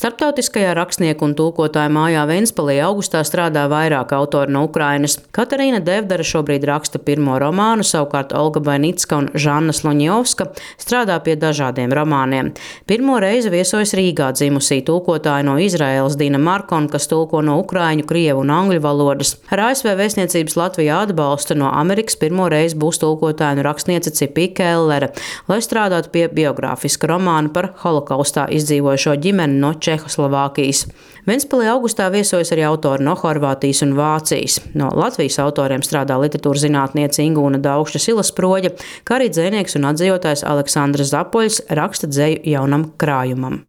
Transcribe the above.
Starptautiskajā rakstnieku un tulkotāju mājā Ventspilī augustā strādā vairāk autori no Ukrainas. Katarīna Devdara šobrīd raksta pirmo romānu, savukārt Olga Bainicka un Žanna Sloņjovska strādā pie dažādiem romāniem. Pirmo reizi viesojas Rīgā dzimusī tulkotāja no Izraēlas Dina Markon, kas tulko no ukraiņu, krievu un angļu valodas. Ar ASV vēstniecības Latvijā atbalstu no Amerikas pirmo reizi būs tulkotāja un rakstniece Cipī Kellere, lai strādātu pie biogrāfiska romāna par holokaustā izdzīvojušo ģimeni no Čehoslovākijas. Ventspilī augustā viesojas arī autori no Horvātijas un Vācijas. No Latvijas autoriem strādā literatūras zinātniece Ingūna Daugšķa Silasproģe, kā arī dzejnieks un atzījotājs Aleksandrs Zapoļs raksta dzeju jaunam krājumam.